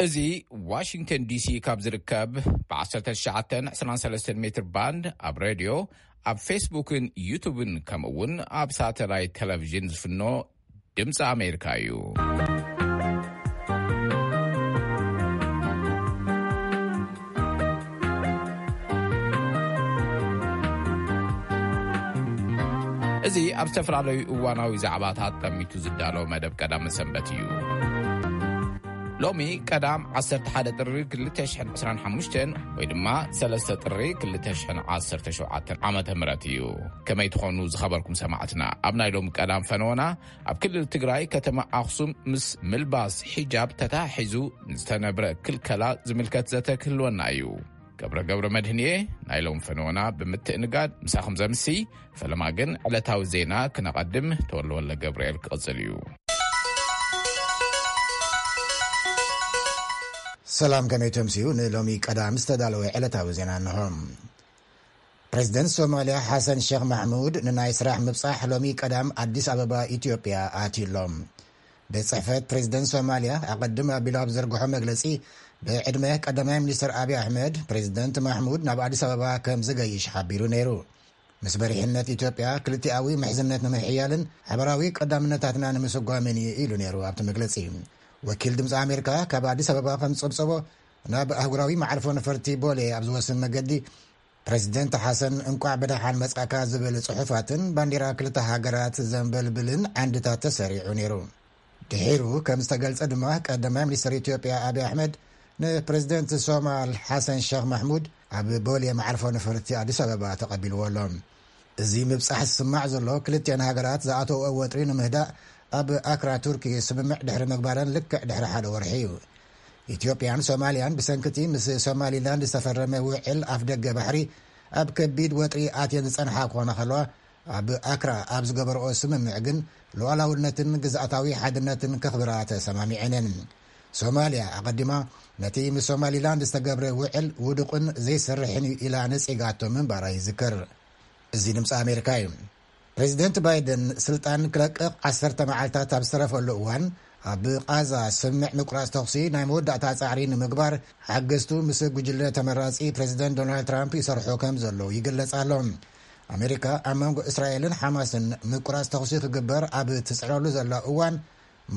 እዚ ዋሽንግተን ዲሲ ካብ ዝርከብ ብ ትሽዓተ ዕስራን ሰለስተን ሜትር ባንድ ኣብ ሬድዮ፣ ኣብ ፌስቡክን ዩቱብን፣ ከምኡ እውን ኣብ ሳተላይት ቴሌቪዥን ዝፍኖ ድምፂ ኣሜሪካ እዩ። እዚ ኣብ ዝተፈላለዩ እዋናዊ ዛዕባታት ጠሚቱ ዝዳሎ መደብ ቀዳም ሰንበት እዩ። ሎሚ ቀዳም ዓሰርተ ሓደ ጥሪ ክልተ ሽሕን ዕስራን ሓሙሽተን ወይ ድማ ሰለስተ ጥሪ ክልተ ሽሕን ዓሰርተ ሸውዓተን ዓመተ ምህረት እዩ። ከመይ ትኾኑ ዝኸበርኩም ሰማዕትና? ኣብ ናይ ሎሚ ቀዳም ፈነወና ኣብ ክልል ትግራይ ከተማ ኣኽሱም ምስ ምልባስ ሒጃብ ተታሒዙ ዝተነብረ ክልከላ ዝምልከት ዘተ ክህልወና እዩ። ገብረ ገብረ መድህንየ ናይ ሎም ፈነወና ብምትእንጋድ ምሳኹም ዘምሲ። ፈለማ ግን ዕለታዊ ዜና ክነቐድም ተወለወለ ገብርኤል ክቕጽል እዩ። ሰላም፣ ከመይ ተምስዩ? ንሎሚ ቀዳም ዝተዳለወ ዕለታዊ ዜና እንሆ። ፕሬዚደንት ሶማልያ ሓሰን ሼክ ማሕሙድ ንናይ ስራሕ ምብጻሕ ሎሚ ቀዳም ኣዲስ ኣበባ ኢትዮጵያ ኣትዩ ኣሎ። ቤት ጽሕፈት ፕሬዚደንት ሶማልያ ኣቐድም ኣቢሉ ኣብ ዘርግሖ መግለጺ፣ ብዕድመ ቀዳማይ ሚኒስትር ኣብይ ኣሕመድ፣ ፕሬዚደንት ማሕሙድ ናብ ኣዲስ ኣበባ ከም ዝገይሽ ሓቢሩ ነይሩ። ምስ መሪሕነት ኢትዮጵያ ክልቲኣዊ ምሕዝነት ንምሕያልን ሓበራዊ ቀዳምነታትና ንምስጓምን እዩ ኢሉ ነይሩ ኣብቲ መግለጺ። ወኪል ድምፂ ኣሜሪካ ካብ ኣዲስ ኣበባ ከም ዝጸብጸቦ፣ ናብ ኣህጉራዊ መዓርፎ ነፈርቲ ቦሌ ኣብ ዝወስን መገዲ ፕሬዚደንት ሓሰን እንቋዕ ብደሓን መጻእካ ዝብል ጽሑፋትን ባንዲራ ክልተ ሃገራት ዘንበልብልን ዓንድታት ተሰሪዑ ነይሩ። ድሒሩ ከም ዝተገልጸ ድማ ቀዳማይ ሚኒስትር ኢትዮጵያ ኣብይ ኣሕመድ ንፕሬዚደንት ሶማል ሓሰን ሸኽ ማሕሙድ ኣብ ቦሌ መዓርፎ ነፈርቲ ኣዲስ ኣበባ ተቐቢልዎ ኣሎ። እዚ ምብጻሕ ዝስማዕ ዘሎ ክልቲኣን ሃገራት ዝኣተውኦ ወጥሪ ንምህዳእ ኣብ ኣክራ ቱርኪ ስምምዕ ድሕሪ ምግባረን ልክዕ ድሕሪ ሓደ ወርሒ እዩ። ኢትዮጵያን ሶማልያን ብሰንክቲ ምስ ሶማሊላንድ ዝተፈረመ ውዕል ኣፍደገ ባሕሪ ኣብ ከቢድ ወጥሪ ኣትየን ዝጸንሓ ክኾና ከለዋ፣ ኣብ ኣክራ ኣብ ዝገበርኦ ስምምዕ ግን ሉዓላውነትን ግዝኣታዊ ሓድነትን ከኽብራ ተሰማሚዐን እየን። ሶማልያ ኣቐዲማ ነቲ ምስ ሶማሊላንድ ዝተገብረ ውዕል ውዱቕን ዘይሰርሕን እዩ ኢላ ነጺጋቶ ምንባራ ይዝከር። እዚ ድምፂ ኣሜሪካ እዩ። ፕሬዚደንት ባይደን ስልጣን ክለቅቕ ዓሰርተ መዓልታት ኣብ ዝተረፈሉ እዋን፣ ኣብ ቃዛ ስምምዕ ምቁራፅ ተኹሲ ናይ መወዳእታ ጻዕሪ ንምግባር ሓገዝቱ ምስ ጉጅለ ተመራጺ ፕሬዚደንት ዶናልድ ትራምፕ ይሰርሑ ከም ዘለዉ ይግለጽ ኣሎ። ኣሜሪካ ኣብ መንጎ እስራኤልን ሓማስን ምቁራፅ ተኹሲ ክግበር ኣብ ትጽዕረሉ ዘላ እዋን፣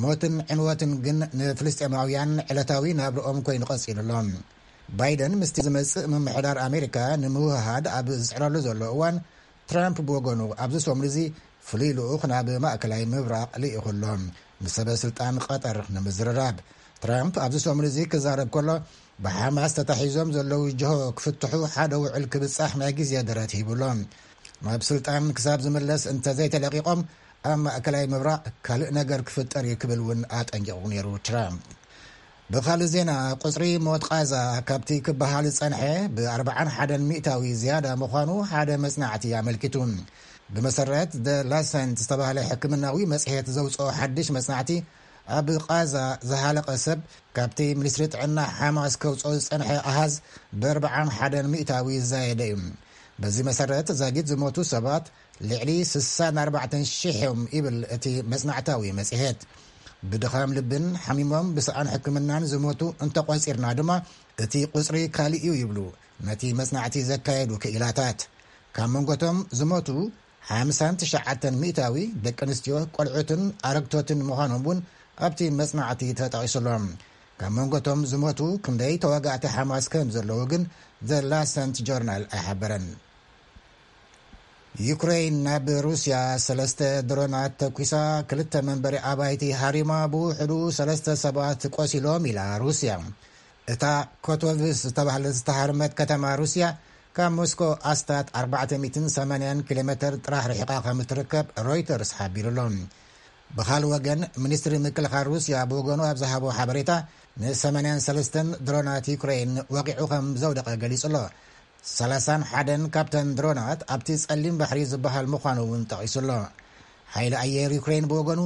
ሞትን ዕንወትን ግን ንፍልስጤማውያን ዕለታዊ ናብርኦም ኮይኑ ቀጺሉ ኣሎ። ባይደን ምስቲ ዝመጽእ ምምሕዳር ኣሜሪካ ንምውህሃድ ኣብ ዝጽዕረሉ ዘሎ እዋን፣ ትራምፕ ብወገኑ ኣብዚ ሰሙን እዚ ፍሉይ ልኡኽ ናብ ማእከላይ ምብራቕ ልኢኹ ኣሎ፣ ምስ ሰበ ስልጣን ቀጠር ንምዝርራብ። ትራምፕ ኣብዚ ሰሙን እዚ ክዛረብ ከሎ፣ ብሓማስ ተታሒዞም ዘለዉ ጅሆ ክፍትሑ ሓደ ውዕል ክብጻሕ ናይ ግዜ ደረት ሂቡ ኣሎ። ናብ ስልጣን ክሳብ ዝምለስ እንተዘይተለቂቖም፣ ኣብ ማእከላይ ምብራቕ ካልእ ነገር ክፍጠር እዩ ክብል እውን ኣጠንቂቑ ነይሩ ትራምፕ። ብኻልእ ዜና፣ ቁጽሪ ሞት ቃዛ ካብቲ ክበሃል ዝጸንሐ ብ ኣርብዓን ሓደን ሚእታዊ ዝያዳ ምዃኑ ሓደ መጽናዕቲ ኣመልኪቱ። ብመሰረት The Lancet ዝተባህለ ሕክምናዊ መጽሔት ዘውጽኦ ሓድሽ መጽናዕቲ፣ ኣብ ቃዛ ዝሃለቐ ሰብ ካብቲ ሚኒስትሪ ጥዕና ሓማስ ከውጽኦ ዝጸንሐ ኣሃዝ ብ ኣርብዓን ሓደን ሚእታዊ ዝዛየደ እዩ። በዚ መሰረት፣ ዛጊት ዝሞቱ ሰባት ልዕሊ ስሳን ኣርባዕተን ሽሕ እዮም ይብል እቲ መጽናዕታዊ መጽሔት። ብድኻም ልብን ሓሚሞም ብሰኣን ሕክምናን ዝሞቱ እንተቖጺርና ድማ፣ እቲ ቁጽሪ ካልእ እዩ ይብሉ ነቲ መጽናዕቲ ዘካየዱ ክኢላታት። ካብ መንጎቶም ዝሞቱ ሓምሳን ትሽዓተን ሚእታዊ ደቂ ኣንስትዮ፣ ቆልዑትን ኣረግቶትን ምዃኖም እውን ኣብቲ መጽናዕቲ ተጠቒሱ ኣሎ። ካብ መንጎቶም ዝሞቱ ክንደይ ተዋጋእቲ ሓማስ ከም ዘለዉ ግን The Lancet ጆርናል ኣይሓበረን። ዩክሬን ናብ ሩስያ ሰለስተ ድሮናት ተኩሳ፣ ክልተ መንበሪ ኣባይቲ ሃሪማ፣ ብውሕዱ ሰለስተ ሰባት ቆሲሎም ኢላ ሩስያ። እታ ኮቶቭስ ዝተባህለት ዝተሃርመት ከተማ ሩስያ ካብ ሞስኮ ኣስታት ኣርባዕተ ሚእትን ሰማንያን ኪሎ ሜትር ጥራሕ ርሒቓ ከም እትርከብ ሮይተርስ ሓቢሩ ኣሎ። ብኻልእ ወገን፣ ሚኒስትሪ ምክልኻል ሩስያ ብወገኑ ኣብ ዝሃቦ ሓበሬታ፣ ን ሰማንያን ሰለስተን ድሮናት ዩክሬን ወቒዑ ከም ዘውደቐ ገሊጹ ኣሎ። ሰላሳን ሓደን ካብተን ድሮናት ኣብቲ ጸሊም ባሕሪ ዝበሃል ምዃኑ እውን ጠቒሱ ኣሎ። ሓይሊ ኣየር ዩክሬን ብወገኑ፣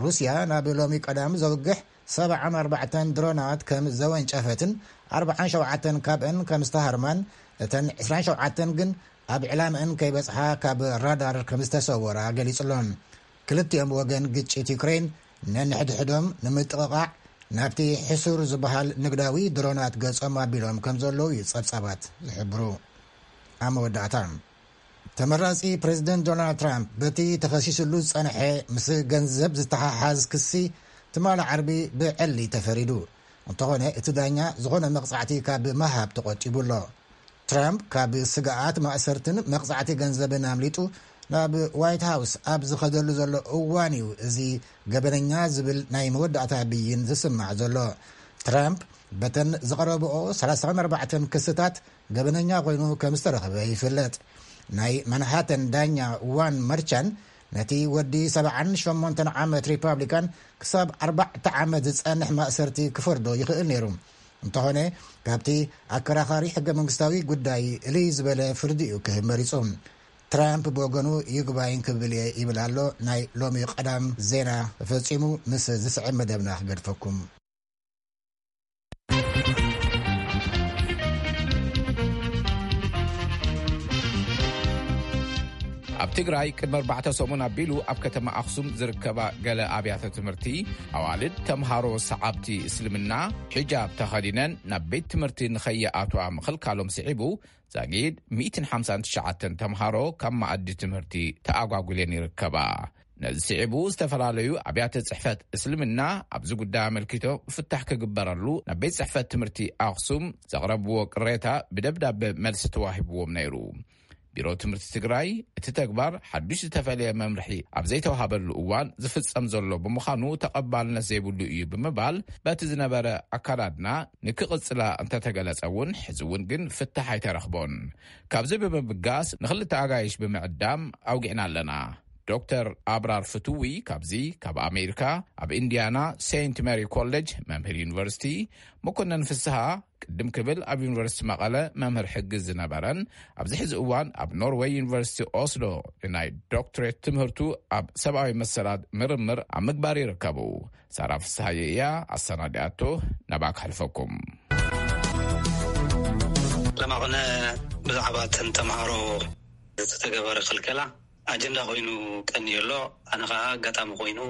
ሩስያ ናብ ሎሚ ቀዳም ዘውግሕ ሰብዓን ኣርባዕተን ድሮናት ከም ዘወንጨፈትን ኣርብዓን ሸውዓተን ካብአን ከም ዝተሃርማን፣ እተን ዕስራን ሸውዓተን ግን ኣብ ዕላምአን ከይበጽሓ ካብ ራዳር ከም ዝተሰወራ ገሊጹ ኣሎ። ክልቲኦም ወገን ግጭት ዩክሬን ነንሕድሕዶም ንምጥቕቓዕ ናብቲ ሕሱር ዝበሃል ንግዳዊ ድሮናት ገጾም ኣቢሎም ከም ዘለዉ እዩ ጸብጻባት ዝሕብሩ። ኣብ መወዳእታ፣ ተመራጺ ፕሬዚደንት ዶናልድ ትራምፕ በቲ ተኸሲስሉ ዝጸንሐ ምስ ገንዘብ ዝተሓሓዝ ክሲ ትማሊ ዓርቢ ብዕሊ ተፈሪዱ። እንተኾነ፣ እቲ ዳኛ ዝኾነ መቕጻዕቲ ካብ ምሃብ ተቖጢቡ ኣሎ። ትራምፕ ካብ ስግኣት ማእሰርትን መቕጻዕቲ ገንዘብን ኣምሊጡ ናብ ዋይት ሃውስ ኣብ ዝኸደሉ ዘሎ እዋን እዩ እዚ ገበነኛ ዝብል ናይ መወዳእታ ብይን ዝስማዕ ዘሎ። ትራምፕ በተን ዝቐረብኦ ሰላሳን ኣርባዕተን ክስታት ገበነኛ ኮይኑ ከም ዝተረኽበ ይፍለጥ። ናይ ማንሃተን ዳኛ ዋን መርቻን ነቲ ወዲ ሰብዓን ሸሞንተን ዓመት ሪፓብሊካን ክሳብ ኣርባዕተ ዓመት ዝጸንሕ ማእሰርቲ ክፈርዶ ይኽእል ነይሩ። እንተኾነ፣ ካብቲ ኣከራኻሪ ሕገ መንግስታዊ ጉዳይ እልይ ዝበለ ፍርዲ እዩ ክህብ መሪጹ። ትራምፕ ብወገኑ ይግባይን ክብል እየ ይብል ኣሎ። ናይ ሎሚ ቀዳም ዜና ተፈጺሙ። ምስ ዝስዕብ መደብና ክገድፈኩም። ኣብ ትግራይ ቅድሚ ኣርባዕተ ሰሙን ኣቢሉ ኣብ ከተማ ኣኽሱም ዝርከባ ገለ ኣብያተ ትምህርቲ ኣዋልድ ተምሃሮ ሰዓብቲ እስልምና ሒጃብ ተኸዲነን ናብ ቤት ትምህርቲ ንኸይኣትዋ ምኽልካሎም ስዒቡ ዛጊድ ሚእትን ሓምሳን ትሽዓተን ተምሃሮ ካብ መኣዲ ትምህርቲ ተኣጓጉለን ይርከባ። ነዚ ስዒቡ ዝተፈላለዩ ኣብያተ ጽሕፈት እስልምና ኣብዚ ጉዳይ ኣመልኪቶም ፍታሕ ክግበረሉ ናብ ቤት ጽሕፈት ትምህርቲ ኣኽሱም ዘቕረብዎ ቅሬታ ብደብዳበ መልሲ ተዋሂብዎም ነይሩ። ቢሮ ትምህርቲ ትግራይ እቲ ተግባር ሓዱሽ ዝተፈለየ መምርሒ ኣብ ዘይተዋሃበሉ እዋን ዝፍጸም ዘሎ ብምዃኑ ተቐባልነት ዘይብሉ እዩ ብምባል በቲ ዝነበረ ኣካዳድና ንክቕጽላ እንተተገለጸ እውን ሕዚ እውን ግን ፍታሕ ኣይተረኽቦን። ካብዚ ብምብጋስ ንኽልተ ኣጋይሽ ብምዕዳም ኣውጊዕና ኣለና። ዶክተር ኣብራር ፍትዊ ካብዚ ካብ ኣሜሪካ ኣብ ኢንዲያና ሴንት ሜሪ ኮሌጅ መምህር ዩኒቨርሲቲ፣ መኮነን ፍስሃ ቅድም ክብል ኣብ ዩኒቨርሲቲ መቐለ መምህር ሕጊ ዝነበረን ኣብዚ ሕዚ እዋን ኣብ ኖርወይ ዩኒቨርሲቲ ኦስሎ ንናይ ዶክትሬት ትምህርቱ ኣብ ሰብኣዊ መሰላት ምርምር ኣብ ምግባር ይርከቡ። ሳራ ፍስሃየ እያ ኣሰናዲኣቶ። ናብኣ ክሕልፈኩም። ለማቕነ ብዛዕባ እተን ተምሃሮ ዝተገበረ ክልከላ ኣጀንዳ ኮይኑ ቀንዩ ኣሎ። ኣነ ኸዓ ኣጋጣሚ ኮይኑ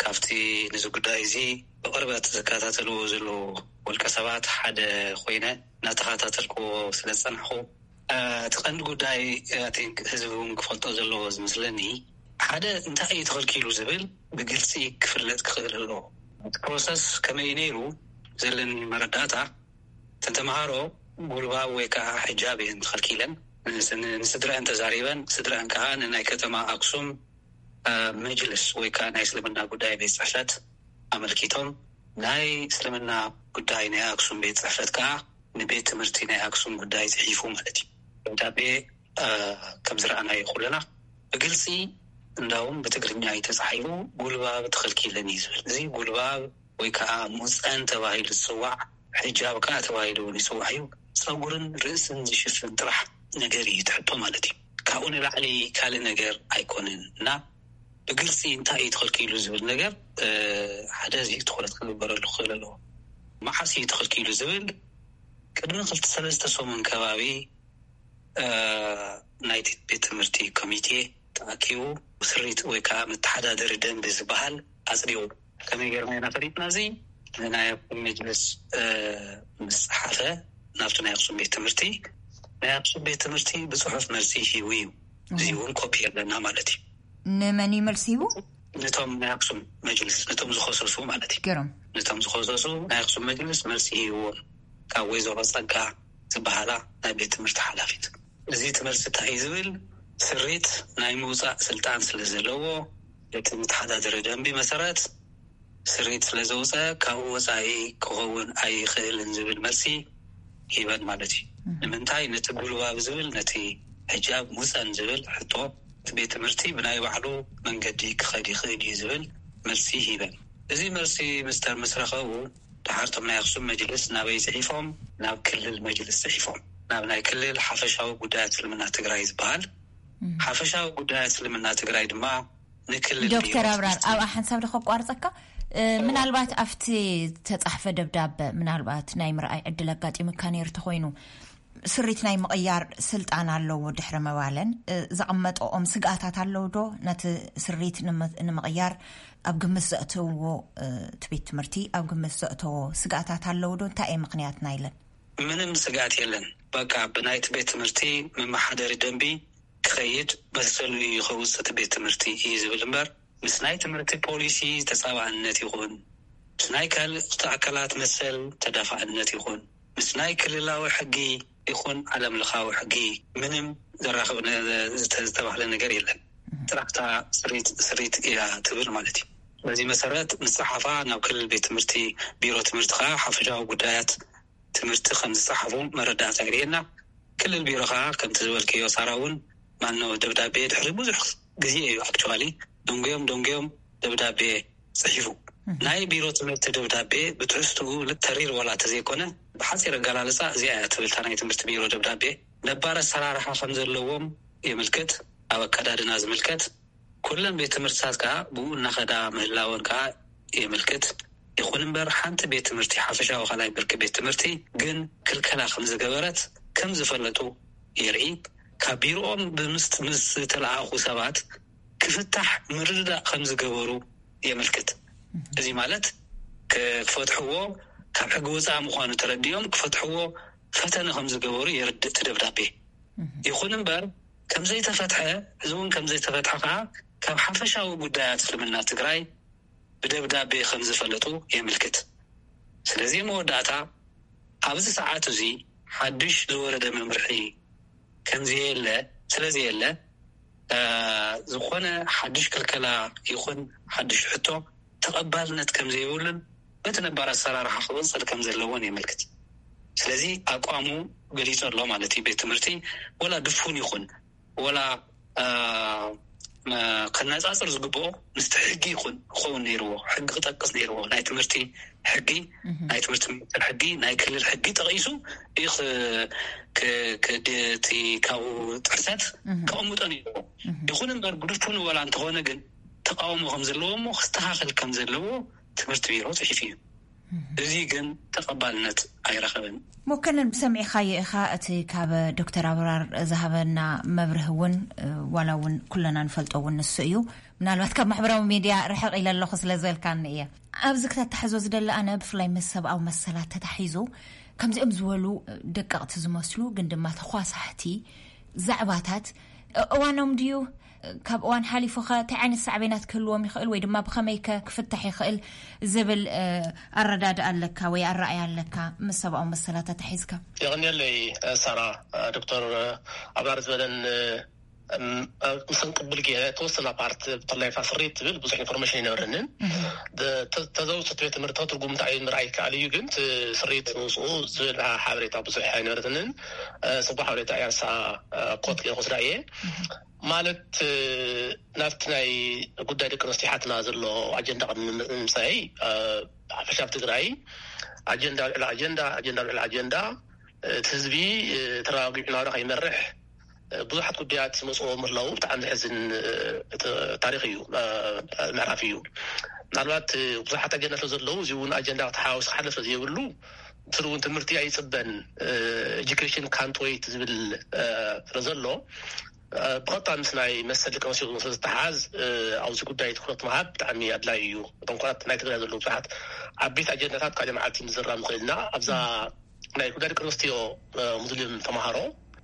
ካብቲ ነዚ ጉዳይ እዚ ብቕርበት ዝከታተልዎ ዘለዉ ውልቀ ሰባት ሓደ ኮይነ እናተኸታተልክዎ ስለ ዝጸናሕኩ፣ እቲ ቀንዲ ጉዳይ፣ I think፣ ህዝቢ እውን ክፈልጦ ዘለዎ ዝመስለኒ፣ ሓደ እንታይ እዩ ተኸልኪሉ ዝብል ብግልፂ ክፍለጥ ክኽእል ኣለዎ። እቲ ፕሮሰስ ከመይ እዩ ነይሩ? ዘለኒ መረዳእታ፣ እተን ተምሃሮ ጉልባብ ወይ ከዓ ሕጃብ እየን ተኸልኪለን። ንስ-፣ ን-፣ ንስድረአን ተዛሪበን፣ ስድረአን ከዓ ንናይ ከተማ ኣክሱም፣ እ፣ መጅልስ ወይ ከዓ ናይ እስልምና ጉዳይ ቤት ጽሕፈት ኣመልኪቶም፣ ናይ እስልምና ጉዳይ ናይ ኣክሱም ቤት ጽሕፈት ከዓ ንቤት ትምህርቲ ናይ ኣክሱም ጉዳይ ጽሒፉ ማለት እዩ። ደብዳቤ፣ እ፣ ከም ዝረኣናዮ ኩልና ብግልጺ፣ እንዳውም ብትግርኛ እዩ ተጻሒፉ፣ ጉልባብ ተኸልኪለን እዩ ዝብል። እዚ ጉልባብ ወይ ከዓ ሙፀን ተባሂሉ ዝፅዋዕ፣ ሕጃብ ከዓ ተባሂሉ እውን ይፅዋዕ እዩ። ፀጉርን ርእስን ዝሽፍን ጥራሕ ነገር እዩ እቲ ሕቶ ማለት እዩ። ካብኡ ንላዕሊ ካልእ ነገር ኣይኮነን እና ብግልፂ እንታይ እዩ ተኸልኪሉ ዝብል ነገር፣ እ፣ ሓደ እዚ ትኹረት ክግበረሉ ክኽእል ኣለዎ። መዓስ እዩ ተኸልኪሉ ዝብል ቅድሚ ክልተ ሰለስተ ሰሙን ከባቢ እ፣ ናይቲ ቤት ትምህርቲ ኮሚቴ ተኣኪቡ ስሪት ወይ ከዓ መተሓዳደሪ ደንቢ ዝበሃል ኣፅዲቑ። ከመይ ጌርና ኢና ፈሊጥና? እዚ ናይ ኣክሱም መጅልስ፣ እ፣ ምስ ፀሓፈ ናብቲ ናይ ኣክሱም ቤት ትምህርቲ፣ ናይ ኣክሱም ቤት ትምህርቲ ብፅሑፍ መልሲ ሂቡ እዩ። እዚ እውን ኮፒ ኣለና ማለት እዩ። ንመን እዩ መልሲ ሂቡ? ነቶም ናይ ኣክሱም መጅልስ፣ ነቶም ዝኸሰሱ ማለት እዩ። ገሮም። ነቶም ዝኸሰሱ ናይ ኣክሱም መጅልስ መልሲ ሂብዎም። ካብ ወይዘሮ ጸጋ ዝበሃላ ናይ ቤት ትምህርቲ ሓላፊት። እዚ እቲ መልሲ እንታይ እዩ ዝብል? ስሪት ናይ ምውጻእ ስልጣን ስለ ዘለዎ፣ እቲ መተሓዳደሪ ደንቢ መሰረት ስሪት ስለ ዘውጸ፣ ካብኡ ወጻኢ ክኸውን ኣይኽእልን ዝብል መልሲ ሂበን ማለት እዩ። ንምንታይ ነቲ ጉልባብ ዝብል፣ ነቲ ሕጃብ ሙጸን ዝብል ሕቶ፣ እቲ ቤት ትምህርቲ ብናይ ባዕሉ መንገዲ ክኸድ ይኽእል እዩ ዝብል መልሲ ሂበን። እዚ መልሲ ምስ ተረኸቡ፣ ደሓር እቶም ናይ ኣክሱም መጅልስ ናበይ ጽሒፎም? ናብ ክልል መጅልስ ጽሒፎም። ናብ ናይ ክልል ሓፈሻዊ ጉዳያት እስልምና ትግራይ ዝበሃል። ሓፈሻዊ ጉዳያት እስልምና ትግራይ ድማ ንክልል ዶክተር ቢሮ ኣብራር፣ ጽሕፈት ኣብኣ ሓንሳብ ዶ ከቋርጸካ? እ፣ ምናልባት ኣብቲ ተጻሕፈ ደብዳበ፣ ምናልባት ናይ ምርኣይ ዕድል ኣጋጢሙካ ነይሩ ተኾይኑ፣ ስሪት ናይ ምቕያር ስልጣን ኣለዎ ድሕሪ ምባለን፣ እ፣ ዘቐመጠኦም ስግኣታት ኣለዉ ዶ? ነቲ ስሪት ንመ-፣ ንምቕያር ኣብ ግምት ዘእተውዎ፣ እ፣ እቲ ቤት ትምህርቲ ኣብ ግምት ዘእተዎ ስግኣታት ኣለዉ ዶ? እንታይ እዩ ምኽንያት ናይለን? ምንም ስግኣት የለን። በቃ ብናይቲ ቤት ትምህርቲ መመሓደሪ ደንቢ ክኸይድ መሰሉ እዩ ከውፅእ እቲ ቤት ትምህርቲ እዩ ዝብል እምበር፣ ምስ ናይ ትምህርቲ ፖሊሲ ተፃባእነት ይኹን፣ ምስ ናይ ካልእ ኣካላት መሰል ተዳፋእነት ይኹን፣ ምስ ናይ ክልላዊ ሕጊ ይኹን ዓለም ለኻዊ ሕጊ ምንም ዘራኽብ ነ-፣ ዝተ-፣ ዝተባህለ ነገር የለን። ጥራሕታ ስሪት፣ ስሪት እያ ትብል ማለት እዩ። በዚ መሰረት ምስ ፀሓፋ ናብ ክልል ቤት ትምህርቲ፣ ቢሮ ትምህርቲ ከዓ ሓፈሻዊ ጉዳያት ትምህርቲ ከም ዝፀሓፉ መረዳእታ የርእየና። ክልል ቢሮ ከዓ ከምቲ ዝበልክዮ ሳራ እውን ማኖ ደብዳቤ ድሕሪ ብዙሕ ግዜ እዩ ኣክቹዋሊ ደንጉዮም ደንጉዮም ደብዳቤ ጽሒፉ። ናይ ቢሮ ትምህርቲ ደብዳቤ ብትሕዝትኡ ተሪር ዋላ ተዘይኮነ፣ ብሓጺር ኣገላልጻ እዚኣ እያ ትብል እታ ናይ ትምህርቲ ቢሮ ደብዳቤ። ነባር ኣሰራርሓ ከም ዘለዎም የምልክት። ኣብ ኣከዳድና ዝምልከት፣ ኩለን ቤት ትምህርትታት ከኣ ብኡ እናኸዳ ምህላወን ከኣ የምልክት። ይኹን እምበር፣ ሓንቲ ቤት ትምህርቲ፣ ሓፈሻዊ ካልኣይ ብርኪ ቤት ትምህርቲ ግን ክልከላ ከም ዝገበረት ከም ዝፈለጡ የርኢ። ካብ ቢሮኦም ብምስጥ-፣ ምስ ዝተለኣኹ ሰባት ክፍታሕ ምርድዳእ ከም ዝገበሩ የምልክት። እዚ ማለት ክ-፣ ክፈትሕዎ፣ ካብ ሕጊ ወፃኢ ምዃኑ ተረዲኦም ክፈትሕዎ ፈተነ ከም ዝገበሩ የርድእ እቲ ደብዳቤ። ይኹን እምበር፣ ከም ዘይተፈትሐ፣ እዚ እውን ከም ዘይተፈትሐ ከዓ ካብ ሓፈሻዊ ጉዳያት እስልምና ትግራይ ብደብዳቤ ከም ዝፈለጡ የምልክት። ስለዚ መወዳእታ፣ ኣብዚ ሰዓት እዚ ሓድሽ ዝወረደ መምርሒ ከም ዘየለ፣ ስለ ዘየለ፣ እ፣ ዝኾነ ሓድሽ ክልከላ ይኹን ሓድሽ ሕቶ ተቐባልነት ከም ዘይብሉን በቲ ነባር ኣሰራርሓ ክቕጽል ከም ዘለዎን የመልክት። ስለዚ ኣቋሙ ገሊጹ ኣሎ ማለት እዩ። ቤት ትምህርቲ ወላ ድፉን ይኹን ወላ፣ እ፣ መ-፣ ከነጻጽር ዝግብኦ ምስቲ ሕጊ ይኹን ክኸውን ነይርዎ፣ ሕጊ ክጠቅስ ነይርዎ። ናይ ትምህርቲ ሕጊ፣ ናይ ትምህርቲ ሚኒስቴር ሕጊ፣ ናይ ክልል ሕጊ ጠቒሱ እዩ ክ-፣ ክ-፣ ክ-፣ እቲ ካብኡ ጥሕሰት ከቐምጦ ነይርዎ። ይኹን እምበር ግዱፉን ወላ እንተኾነ ግን ተቃውሞ ከም ዘለዎ እሞ ክስተኻኸል ከም ዘለዎ ትምህርቲ ቢሮ ጽሒፉ እዩ። እዚ ግን ተቐባልነት ኣይረኸበን። መኮንን፣ ብሰሚዕኻዮ ኢኻ፣ እቲ ካብ ዶክተር ኣብራር ዝሃበና መብርህ እውን፣ እ፣ ዋላ እውን ኩለና ንፈልጦ እውን ንሱ እዩ። ምናልባት ካብ ማሕበራዊ ሚድያ ርሕቕ ኢለ ኣለኹ ስለ ዝበልካኒ እየ። ኣብዚ ክተታሕዞ ዝደሊ ኣነ፣ ብፍላይ ምስ ሰብኣዊ መሰላት ተታሒዙ፣ ከምዚኦም ዝበሉ ደቀቕቲ ዝመስሉ ግን ድማ ተኳሳሕቲ ዛዕባታት፣ እ-፣ እዋኖም ድዩ? ካብ እዋን ሓሊፉ ኸ እንታይ ዓይነት ሳዕቤናት ክህልዎም ይኽእል ወይ ድማ ብኸመይ ከ ክፍታሕ ይኽእል ዝብል፣ እ፣ ኣረዳድኣ ኣለካ ወይ ኣረኣያ ኣለካ ምስ ሰብኣዊ መሰላት ኣታሒዝካ? የቐንየለይ፣ እ፣ ሳራ፣ እ፣ ዶክተር፣ እ፣ ኣብራር ዝበለን፣ እ፣ እም፣ እ፣ ምስ እንቅብል ገይረ፣ ተወሰና ፓርት ብፍላይ ፋስሪት ትብል ብዙሕ ኢንፎርሜሽን ኣይነበረንን። ደ-፣ ተ-፣ ተዘውትርቲ ቤት ትምህርቲ ትርጉም እንታይ እዩ ምርኣይ ይከኣል እዩ፣ ግን እቲ ስሪት ምውፅኡ ዝብል ሓበሬታ ብዙሕ ኣይነበረትንን። እ፣ ፅቡቅ ሓበሬታ እያ፣ ንሳ፣ እ፣ ኮት ገይረ ክወስዳ እየ። ማለት፣ እ፣ ናብቲ ናይ ጉዳይ ደቂ ኣንስትዮ ሓትና ዘሎ ኣጀንዳ ቅድሚ ምምፃይ፣ እ፣ ሓፈሻ ኣብ ትግራይ ኣጀንዳ ልዕሊ ኣጀንዳ፣ ኣጀንዳ ልዕሊ ኣጀንዳ፣ እቲ ህዝቢ፣ እ፣ ተረጋጊዑ ናብራ ከይመርሕ፣ እ፣ ብዙሓት ጉዳያት ይመፅዎ ምህላው ብጣዕሚ ዘሕዝን፣ እ፣ ት-፣ ታሪኽ እዩ፣ እ፣ ምዕራፍ እዩ። ምናልባት፣ እ፣ ብዙሓት ኣጀንዳታት ዘለዉ፣ እዚ እውን ኣጀንዳ ተሓዋዊሱ ክሓለፍ ዘይብሉ፣ ስሩ እውን ትምህርቲ ኣይፅበን፣ እ፣ education can't wait ዝብል፣ እ፣ ስለ ዘሎ፣ እ፣ ብቐጥታ ምስ ናይ መሰል ደቂ ኣንስትዮ ስለ ዝተሓዝ፣ እ፣ ኣብዚ ጉዳይ ትኹረት ምሃብ ብጣዕሚ ኣድላዪ እዩ። እቶም ኩራት ናይ ትግራይ ዘለዉ ብዙሓት ዓበይቲ ኣጀንዳታት ካልእ መዓልቲ ምዝራብ ንኽእል ኢና። ኣብዛ ናይ ጉዳይ ደቂ ኣንስትዮ፣ እ፣ ሙስሊም ተምሃሮ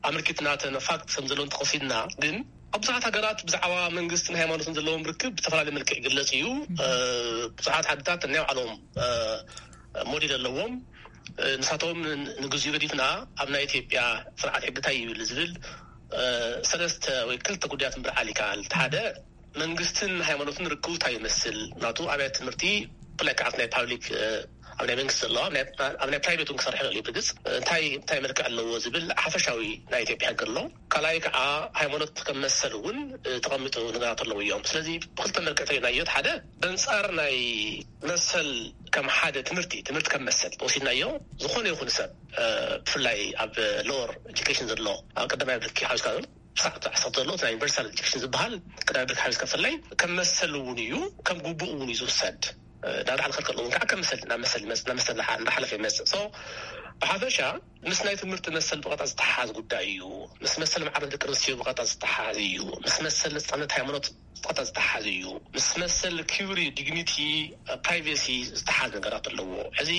ኣመልኪትና፣ እተን ፋክት ከም ዘለውን ተኸሲልና፣ ግን ኣብ ብዙሓት ሃገራት ብዛዕባ መንግስትን ሃይማኖትን ዘለዎም ርክብ ብዝተፈላለየ መልክዕ ይግለጽ እዩ። እ፣ ብዙሓት ዓድታት ናይ ባዕሎም፣ እ፣ ሞዴል ኣለዎም። እ፣ ንሳቶም ን-፣ ንግዚኡ ገዲፍና ኣብ ናይ ኢትዮጵያ ስርዓት ሕጊ እንታይ ይብል ዝብል፣ እ፣ ሰለስተ ወይ ክልተ ጉዳያት ምብርዓል ይከኣል። እቲ ሓደ መንግስትን ሃይማኖትን ርክቡ እንታይ ይመስል? ናቱ ኣብያተ ትምህርቲ ብፍላይ ከዓ ኣብ ናይ ፓብሊክ፣ እ፣ ኣብ ናይ መንግስቲ ዘለዋ፣ ኣብ ናይ፣ ኣብ ናይ ፕራይቬት እውን ክሰርሕ ይኽእል እዩ። ብርግጽ እንታይ፣ እንታይ መልክዕ ኣለዎ ዝብል ሓፈሻዊ ናይ ኢትዮጵያ ሕጊ ኣሎ። ካልኣይ ከዓ ሃይማኖት ከም መሰል እውን፣ እ፣ ተቐሚጡ ነገራት ኣለዉ እዮም። ስለዚ ብክልተ መልክዕ ተሪእናዮ፣ እቲ ሓደ በንጻር ናይ መሰል ከም ሓደ ትምህርቲ፣ ትምህርቲ ከም መሰል ወሲድናዮ፣ ዝኾነ ይኹን ሰብ፣ እ፣ ብፍላይ ኣብ ሎወር ኤጁኬሽን ዘሎ፣ ኣብ ቀዳማይ ብርኪ ሓዊስካ ክሳዕ ዓሰርተ ዘሎ፣ እቲ ናይ ዩኒቨርሳል ኤጁኬሽን ዝበሃል ቀዳማይ ብርኪ ሓዊስካ ብፍላይ ከም መሰል እውን እዩ፣ ከም ግቡእ እውን እዩ ዝውሰድ። እ፣ ናብ ላዕሊ ከልከል እውን ከዓ ከም መሰል፣ ናብ መሰል ይመጽእ፣ ናብ መሰል እንዳሓ-፣ እንዳሓለፈ ይመጽእ። So፣ ብሓፈሻ ምስ ናይ ትምህርቲ መሰል ብቐጥታ ዝተሓሓዝ ጉዳይ እዩ። ምስ መሰል ማዕረ ደቂ ኣንስትዮ ብቐጥታ ዝተሓሓዝ እዩ። ምስ መሰል ነጻነት ሃይማኖት ብቐጥታ ዝተሓሓዝ እዩ። ምስ መሰል ክብሪ፣ ዲግኒቲ፣ ፕራይቬሲ ዝተሓሓዝ ነገራት ኣለዎ። እዚ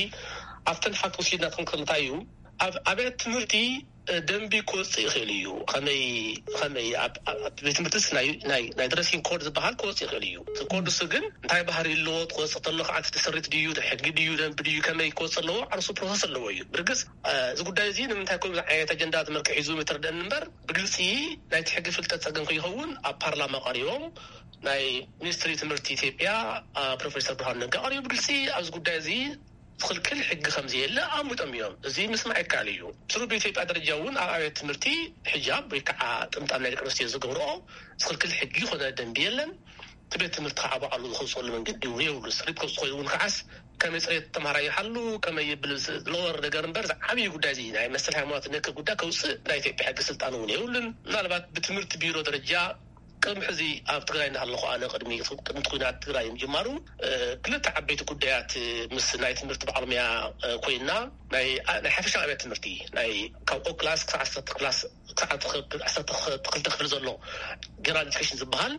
ኣብተን ፋክት ወሲድና ክንክልታ እዩ። ኣብ ኣብያት ትምህርቲ ደንቢ ክወፅእ ይኽእል እዩ። ከመይ ከመይ ኣብ ኣብ ቤት ትምህርትስ ናይ ናይ ናይ ድረሲንግ ኮድ ዝበሃል ክወፅእ ይኽእል እዩ። እቲ ኮድ እሱ ግን እንታይ ባህሪ ኣለዎ፣ ክወፅእ ከሎ ከዓ እቲ ስሪት ድዩ፣ ሕጊ ድዩ፣ ደንቢ ድዩ፣ ከመይ ክወፅእ ኣለዎ፣ ዓርሱ ፕሮሰስ ኣለዎ እዩ። ብርግፅ እዚ ጉዳይ እዚ ንምንታይ ከምዚ ዓይነት ኣጀንዳ ተመርኪ ሒዙ ምትርደን እምበር፣ ብግልፂ ናይቲ ሕጊ ፍልጠት ፀገም ከይኸውን ኣብ ፓርላማ ቀሪቦም ናይ ሚኒስትሪ ትምህርቲ ኢትዮጵያ ፕሮፌሰር ብርሃኑ ነጋ ቀሪቡ ብግልፂ ኣብዚ ጉዳይ እዚ ዝኽልክል ሕጊ ከም ዘየለ ኣምቢጦም እዮም። እዚ ምስማዕ ይከኣል እዩ። ስሩ ብኢትዮጵያ ደረጃ እውን ኣብ ኣብያት ትምህርቲ ሕጃብ ወይ ከዓ ጥምጣም ናይ ደቂ ኣንስትዮ ዝገብርኦ ዝኽልክል ሕጊ ይኾነ ደንቢ የለን። እቲ ቤት ትምህርቲ ከዓ ባዕሉ ዝኸውፀሉ መንገዲ እውን የብሉ። ስሪት ከውፅ ኮይኑ እውን ከዓስ ከመይ ፅሬት ተምሃራይ ይሓሉ፣ ከመይ ይብል ዝለወር ነገር እምበር ዝዓብዩ ጉዳይ እዚ ናይ መሰል ሃይማኖት ነክ ጉዳይ ከውፅእ ናይ ኢትዮጵያ ሕጊ ስልጣን እውን የብሉን። ምናልባት ብትምህርቲ ቢሮ ደረጃ ቅድሚ ሕዚ ኣብ ትግራይ እንዳሃለኹ ኣነ ቅድሚ ቅድሚ ኩናት ትግራይ ምጅማሩ ክልተ ዓበይቲ ጉዳያት ምስ ናይ ትምህርቲ ባዕልሙያ ኮይና ናይ ናይ ሓፈሻ ኣብያት ትምህርቲ ናይ ካብ ኦ ክላስ ክሳብ ዓሰርተ ክላስ ክሳብ ዓሰርተ ክልተ ክፍሊ ዘሎ ጀነራል ኤዱኬሽን ዝበሃል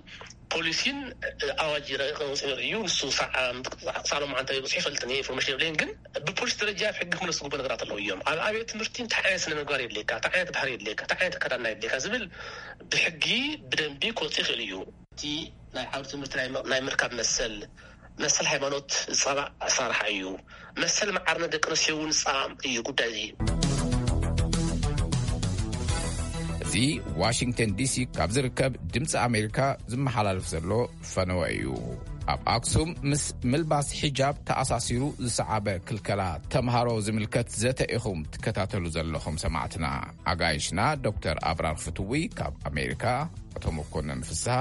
ፖሊሲን ኣዋጅ ረቂቕ ወፂኡ እዩ። ንሱ ሳዕ ሳዕ ሎማዓንቲ በፂሑ ይፈልጥን እየ ኢንፎርሜሽን የብለይን ግን ብፖሊሲ ደረጃ ኣብ ሕጊ ክምለስ ዝግብኦ ነገራት ኣለዉ እዮም። ኣብ ኣብያት ትምህርቲ እንታይ ዓይነት ስነ ምግባር የድልየካ፣ እንታይ ዓይነት ባህሪ የድልየካ፣ እንታይ ዓይነት ኣከዳድና የድልየካ ዝብል ብሕጊ ብደንቢ ክወፅእ ይኽእል እዩ። እቲ ናይ ዓውዲ ትምህርቲ ናይ ምርካብ መሰል መሰል ሃይማኖት ዝፃባእ ኣሰራርሓ እዩ። መሰል መዓርነት ደቂ ኣንስትዮ እውን ዝፃባእ እዩ ጉዳይ እዚ። እዚ ዋሽንግተን ዲሲ ካብ ዝርከብ ድምፂ ኣሜሪካ ዝመሓላለፍ ዘሎ ፈነወ እዩ። ኣብ ኣክሱም ምስ ምልባስ ሒጃብ ተኣሳሲሩ ዝሰዓበ ክልከላ ተምሃሮ ዝምልከት ዘተ ኢኹም ትከታተሉ ዘለኹም ሰማዕትና። ኣጋይሽና ዶክተር ኣብራር ፍትዊ ካብ ኣሜሪካ፣ ኣቶ መኮነን ፍስሃ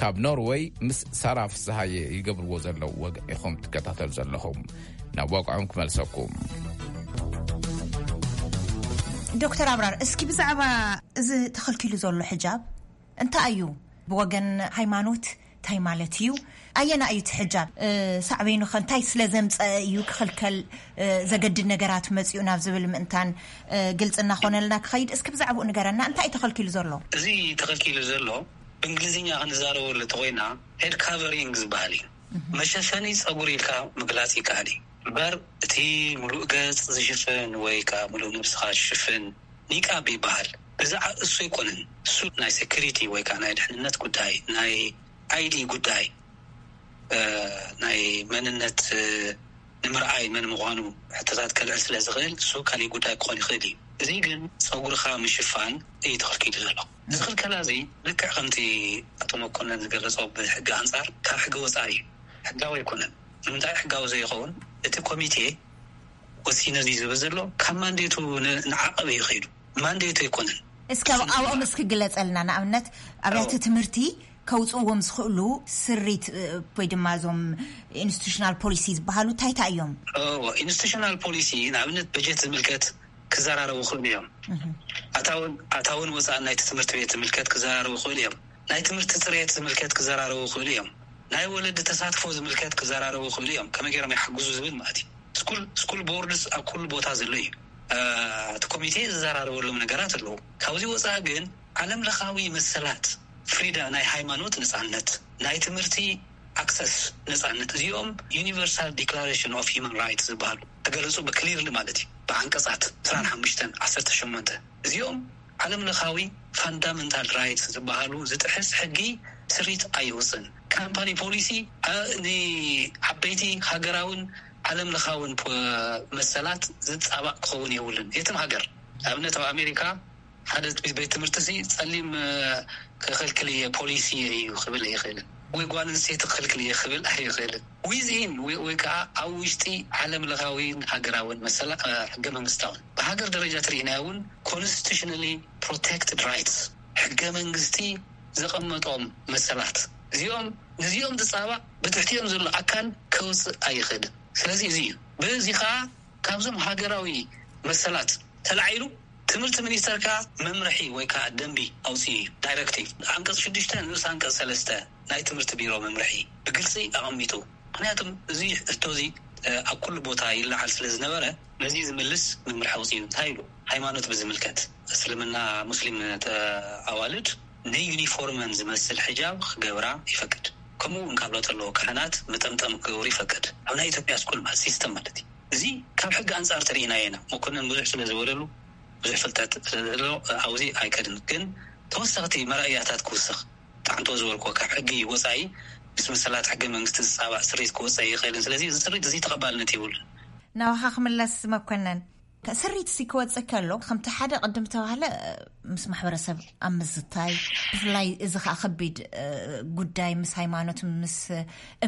ካብ ኖርወይ ምስ ሳራ ፍስሃየ ይገብርዎ ዘለዉ ወግዒ ኢኹም ትከታተሉ ዘለኹም። ናብ ዋግዖም ክመልሰኩም። ዶክተር ኣብራር፣ እስኪ ብዛዕባ እዚ ተኸልኪሉ ዘሎ ሕጃብ እንታይ እዩ? ብወገን ሃይማኖት እንታይ ማለት እዩ? ኣየና እዩ እቲ ሕጃብ? ሳዕቤኑ ከ እንታይ ስለ ዘምፀአ እዩ ክኽልከል ዘገድድ ነገራት መፂኡ ናብ ዝብል ምእንታን ግልፂ እናኾነልና ክኸይድ፣ እስኪ ብዛዕባኡ ንገረና። እንታይ እዩ ተኸልኪሉ ዘሎ? እዚ ተኸልኪሉ ዘሎ ብእንግሊዝኛ ክንዛረበሉ እንተኾይና ሄድ ካቨሪንግ ዝበሃል እዩ። መሸፈኒ ፀጉሪ ኢልካ ምግላፅ ይከኣል እዩ። እምበር እቲ ሙሉእ ገፅ ዝሽፍን ወይ ከዓ ሙሉእ ነብስኻ ዝሽፍን ኒቃብ ይበሃል። እዚ ዓ- እሱ ኣይኮነን። እሱ ናይ ሴኩሪቲ ወይ ከዓ ናይ ድሕንነት ጉዳይ፣ ናይ ኣይዲ ጉዳይ፣ እ፣ ናይ መንነት፣ እ፣ ንምርኣይ መን ምዃኑ ሕቶታት ከልዕል ስለ ዝኽእል እሱ ካሊእ ጉዳይ ክኾን ይኽእል እዩ። እዚ ግን ፀጉርኻ ምሽፋን እዩ ተኸልኪሉ ዘሎ። እዚ ክልከላ እዚ ልክዕ ከምቲ ኣቶ መኮነን ዝገለጾ ብሕጊ ኣንጻር ካብ ሕጊ ወፃኢ እዩ። ሕጋዊ ኣይኮነን። ንምንታይ ሕጋዊ ዘይኸውን? እቲ ኮሚቴ ወሲነ እዩ ዝብል ዘሎ ካብ ማንዴቱ ን- ንዓቐብ እዩ ከይዱ። ማንዴቱ ኣይኮነን። እስኪ ኣብ ኣብኦም እስኪ ግለፀልና። ንኣብነት ኣብያተ ትምህርቲ ከውፅእዎም ዝኽእሉ ስሪት እ፣ ወይ ድማ እዞም ኢንስቲቱሽናል ፖሊሲ ዝበሃሉ እንታይ እንታይ እዮም? እዎ፣ ኢንስቲቱሽናል ፖሊሲ ንኣብነት በጀት ዝምልከት ክዘራረቡ ይኽእሉ እዮም። ኣታውን ኣታውን ወፃእን ናይቲ ትምህርቲ ቤት ዝምልከት ክዘራረቡ ይኽእሉ እዮም። ናይ ትምህርቲ ፅሬት ዝምልከት ክዘራረቡ ይኽእሉ እዮም። ናይ ወለዲ ተሳትፎ ዝምልከት ክዘራረቡ ይኽእሉ እዮም። ከመይ ገይሮም ይሓግዙ ዝብል ማለት እዩ። ስኩል ስኩል ቦርድስ ኣብ ኩሉ ቦታ ዘሎ እዩ። እቲ ኮሚቴ ዝዘራረበሎም ነገራት ኣለዉ። ካብዚ ወፃኢ ግን ዓለም ለኻዊ መሰላት ፍሪዳ ናይ ሃይማኖት ነፃነት፣ ናይ ትምህርቲ ኣክሰስ ነፃነት፣ እዚኦም ዩኒቨርሳል ዲክላሬሽን ኦፍ ሂማን ራይትስ ዝበሃሉ ተገለፁ ብክሊርሊ ማለት እዩ ብዓንቀፃት ዕስራን ሓሙሽተን ዓሰርተ ሸሞንተ። እዚኦም ዓለም ለኻዊ ፋንዳመንታል ራይትስ ዝበሃሉ ዝጥሕስ ሕጊ ስሪት ኣይወፅን። ካምፓኒ ፖሊሲ ንዓበይቲ ሃገራውን ዓለም ለኻውን መሰላት ዝፃባእ ክኸውን የብሉን። የትም ሃገር ኣብነት ኣብ ኣሜሪካ ሓደ ቤት ትምህርቲ ሲ ፀሊም ክኽልክል እየ ፖሊሲ እዩ ክብል ኣይኽእልን ወይ ጓል ኣንስተይቲ ክኽልክል እየ ክብል ኣይኽእልን። ዊዝኢን ወይ ከዓ ኣብ ውሽጢ ዓለም ለኻዊን ሃገራውን መሰላ ሕገ መንግስታውን ብሃገር ደረጃ ትርኢናዮ እውን ኮንስቲቱሽናሊ ፕሮቴክትድ ራይትስ ሕገ መንግስቲ ዘቐመጦም መሰላት እዚኦም ነዚኦም ዝፃባእ ብትሕቲኦም ዘሎ ኣካል ከውፅእ ኣይኽእልን። ስለዚ እዚ እዩ በዚ ከዓ ካብዞም ሃገራዊ መሰላት ተላዒሉ ትምህርቲ ሚኒስተር ከዓ መምርሒ ወይ ከዓ ደንቢ ኣውፅኡ እዩ። ዳይረክቲቭ ዓንቀፅ ሽዱሽተ ንኡስ ዓንቀፅ ሰለስተ ናይ ትምህርቲ ቢሮ መምርሒ ብግልፂ ኣቐሚጡ። ምክንያቱም እዚ ሕቶ እዚ ኣብ ኩሉ ቦታ ይለዓል ስለ ዝነበረ፣ ነዚ ዝምልስ መምርሒ ኣውፅኡ። እንታይ ኢሉ? ሃይማኖት ብዝምልከት፣ እስልምና፣ ሙስሊም ኣዋልድ ንዩኒፎርመን ዝመስል ሕጃብ ክገብራ ይፈቅድ። ከምኡ እውን ካብ ለውጢ ኣለዎ ካህናት መጠምጠም ክገብሩ ይፈቅድ። ኣብ ናይ ኢትዮጵያ ስኩል ማለት ሲስተም ማለት እዩ። እዚ ካብ ሕጊ ኣንጻር ተሪኢናዮ ኢና። መኮንን ብዙሕ ስለ ዝበለሉ ብዙሕ ፍልጠት ስለዘሎ ኣብዚ ኣይከድን። ግን ተወሰኽቲ መረኣያታት ክውስኽ፣ ጣዕንቶ ዝበልኩዎ ካብ ሕጊ ወጻኢ ምስ መሰላት ሕገ መንግስቲ ዝጻባእ ስሪት ክወጸ ይኽእልን። ስለዚ እዚ ስሪት እዚ ተቐባልነት የብሉን። ናባኻ ክምለስ መኮንን፣ ስሪት ሲ ክወጽእ ከሎ ከምቲ ሓደ ቅድም ተባህለ ምስ ማሕበረሰብ ኣብ ምዝታይ፣ ብፍላይ እዚ ከዓ ከቢድ ጉዳይ ምስ ሃይማኖት ምስ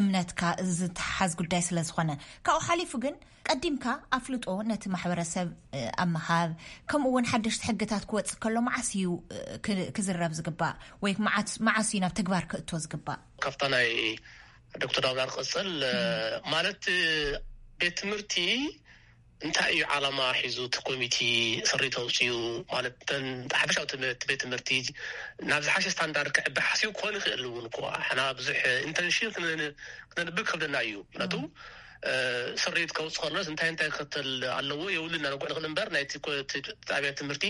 እምነትካ ዝተሓሓዝ ጉዳይ ስለ ዝኾነ፣ ካብኡ ሓሊፉ ግን ቀዲምካ ኣፍልጦ ነቲ ማሕበረሰብ ኣብ ምሃብ፣ ከምኡ እውን ሓደሽቲ ሕግታት ክወጽእ ከሎ መዓስ እዩ ክዝረብ ዝግባእ ወይ መዓስ እዩ ናብ ተግባር ክእቶ ዝግባእ? ካብታ ናይ ዶክተር ዳውላር ቀጽል ማለት ቤት ትምህርቲ እንታይ እዩ ዓላማ ሒዙ እቲ ኮሚቲ ስሪት ኣውፅኡ? ማለት ተን ሓፈሻዊ ትምህርቲ ቤት ትምህርቲ ናብ ዝሓሸ ስታንዳርድ ክዕቢ ሓሲቡ ክኾን ይኽእል እውን እኮ። ሕና ብዙሕ ኢንተንሽን ክነንብብ ከብደና እዩ። ምክንያቱ ስሪት ከውፅ ከሎስ እንታይ እንታይ ክከተል ኣለዎ የብሉ ኢና ንጎዕ ንኽእል እምበር ናይቲ ጣብያ ትምህርቲ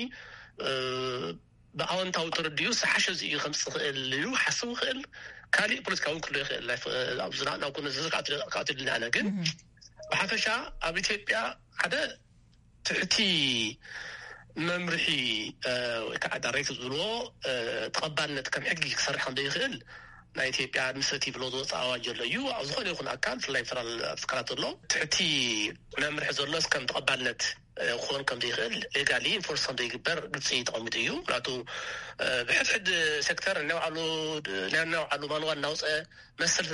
ብኣወንታዊ ተረዲኡ ዝሓሸ እዚ እዩ ከምፅእ ክእል ኢሉ ሓስቡ ክእል። ካሊእ ፖለቲካዊ ክሎ ይኽእል ዝናናው ዝዝርካትልና ኣነ ግን ብሓፈሻ ኣብ ኢትዮጵያ ሓደ ትሕቲ መምርሒ ወይ ከዓ ዳይሬክት ዝብልዎ ተቐባልነት ከም ሕጊ ክሰርሕ ከም ዘይኽእል ናይ ኢትዮጵያ ኣድሚኒስትሬቲቭ ሎ ዝወፅእ ኣዋጅ ዘሎ እዩ። ኣብ ዝኾነ ይኹን ኣካል ብፍላይ ፌደራል ትካላት ዘሎ ትሕቲ መምርሒ ዘሎስ ከም ተቐባልነት ክኾን ከም ዘይኽእል ሌጋሊ ኢንፎርስ ከም ዘይግበር ግልፂ ተቐሚጡ እዩ። ምክንያቱ ብሕድሕድ ሴክተር ናይ ባዕሉ ማንዋል እናውፀ መሰል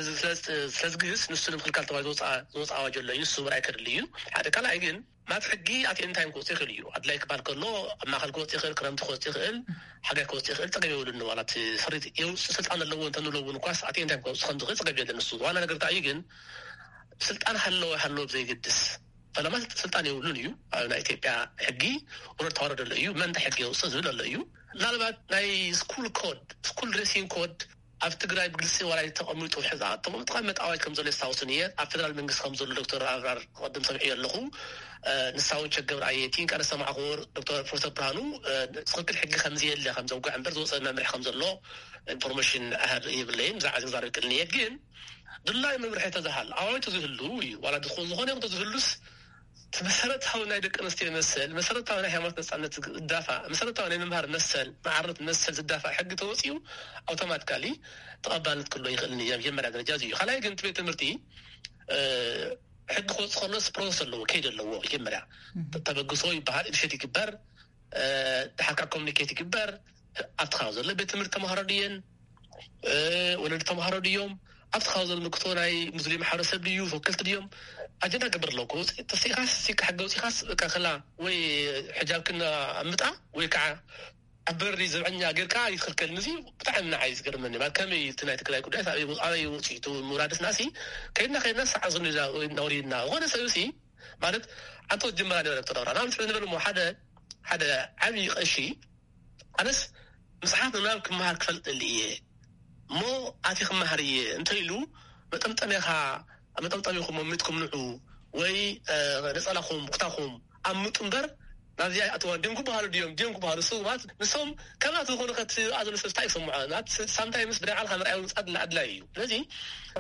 ስለዝግህስ ንሱ ንምክልካል ተባሂሉ ዝወፅእ ኣዋጅ ኣሎ እዩ። ንሱ ምርኣይ ከድሊ እዩ። ሓደ ካልኣይ ግን ናት ሕጊ ኣት ኤኒ ታይም ክወፅእ ይኽእል እዩ። ኣድላይ ክባል ከሎ ኣብ ማእኸል ክወፅእ ይኽእል፣ ክረምቲ ክወፅእ ይኽእል፣ ሓጋይ ክወፅእ ይኽእል፣ ፀገም የብሉን። ዋላ እቲ ስሪት የውፅእ ስልጣን ኣለዎ እንተንብሎ እውን እኳስ ኣት ኤኒ ታይም ክወፅእ ከም ዝኽእል ፀገም የለን። ንሱ ዋና ነገር እንታይ እዩ ግን ስልጣን ሃለወ ሃለወ ብዘይግድስ ፈለማ ስልጣን የብሉን እዩ። ኣብ ናይ ኢትዮጵያ ሕጊ ውረድ ተዋረድ ኣሎ እዩ። መን እንታይ ሕጊ የውፅእ ዝብል ኣሎ እዩ። ምናልባት ናይ ስኩል ኮድ ስኩል ድሬሲንግ ኮድ ኣብ ትግራይ ብግልፂ ዋላ ተቐሚጡ ሕዛ ተቐምጥካ መጣዋጅ ከም ዘሎ የስታውስን እየ። ኣብ ፌደራል መንግስቲ ከም ዘሎ ዶክተር ኣብራር ቅድም ሰምዒ ኣለኹ። ንሳውን ቸገብር ኣየቲን ቃነ ሰማዕኹ ዶክተር ፕሮፌሰር ብርሃኑ ትኽክል ሕጊ ከም ዘየለ ከም ዘውግዕ እምበር ዝወፀ መምርሒ ከም ዘሎ ኢንፎርሜሽን ኣሃድ የብለይን። ብዛዕባ ዝዛረብ ክእልን እየ ግን ድላይ መምርሒ ተዝሃል ኣዋጅ ተዝህሉ እዩ ዋላ ዝኾነ ይኹን ተዝህሉስ እቲ መሰረታዊ ናይ ደቂ ኣንስትዮ መሰል መሰረታዊ ናይ ሃይማኖት ነፃነት ዝዳፋ መሰረታዊ ናይ ምምሃር መሰል መዓርነት መሰል ዝዳፋ ሕጊ ተወፂኡ ኣውቶማቲካሊ ተቐባልነት ክሎ ይኽእል እዩ። መጀመርያ ደረጃ እዚ እዩ። ካልኣይ ግን እቲ ቤት ትምህርቲ ሕጊ ክወፅእ ከሎስ ፕሮሰስ ኣለዎ ከይድ ኣለዎ። መጀመርያ ተበግሶ ይበሃል ኢኒሼት ይግበር ድሓርካ ኮሚኒኬት ይግበር ኣብቲ ከባቢ ዘሎ ቤት ትምህርቲ ተምሃሮ ድየን ወለዲ ተምሃሮ ድዮም ኣብቲ ካብ ዘምልክቶ ናይ ሙስሊም ማሕበረሰብ ድዩ ተወከልቲ ድዮም ኣጀንዳ ገብር ኣለኩ ተስኢኻስ ሲካ ሕገ ውፂኻስ ከላ ወይ ሕጃብክን ኣምጣ ወይ ከዓ ኣብ በሪ ዘብዐኛ ጌርካ ይትክልከል ንዚ ብጣዕሚ ንዓይ ዝገርመኒ ማለት ከመይ እቲ ናይ ትግራይ ጉዳይ ኣበይ ውፅኢቱ ምውራድስ ናሲ ከይድና ከይድና ሰዓ ዝንዳ ወሪድና ዝኾነ ሰብ ሲ ማለት ኣንተ ጅመራ ነበረ ተዳውራ ናብ ንስብ ንበል ሓደ ሓደ ዓብዪ ቀሺ ኣነስ መፅሓፍ ምንባብ ክመሃር ክፈልጥ ደሊ እየ እሞ ኣቲ ክመሃር እየ እንተ ኢሉ መጠምጠሚኻ መጠምጠሚኹም መሚጥኩም ንዑ ወይ ነፀላኹም ኩታኹም ኣምጡ እምበር ናብዚኣ ይኣትዋ ድዮም ክበሃሉ ድዮም ድዮም ክበሃሉ ስውባት ንሶም ከምናት ዝኾኑ ከትኣ ዘሎ ሰብ እንታይ ክሰምዖ ሳምታይ ምስ ብናይ ዓልካ ምርኣይ ምፃድ ኣድላይ እዩ። ስለዚ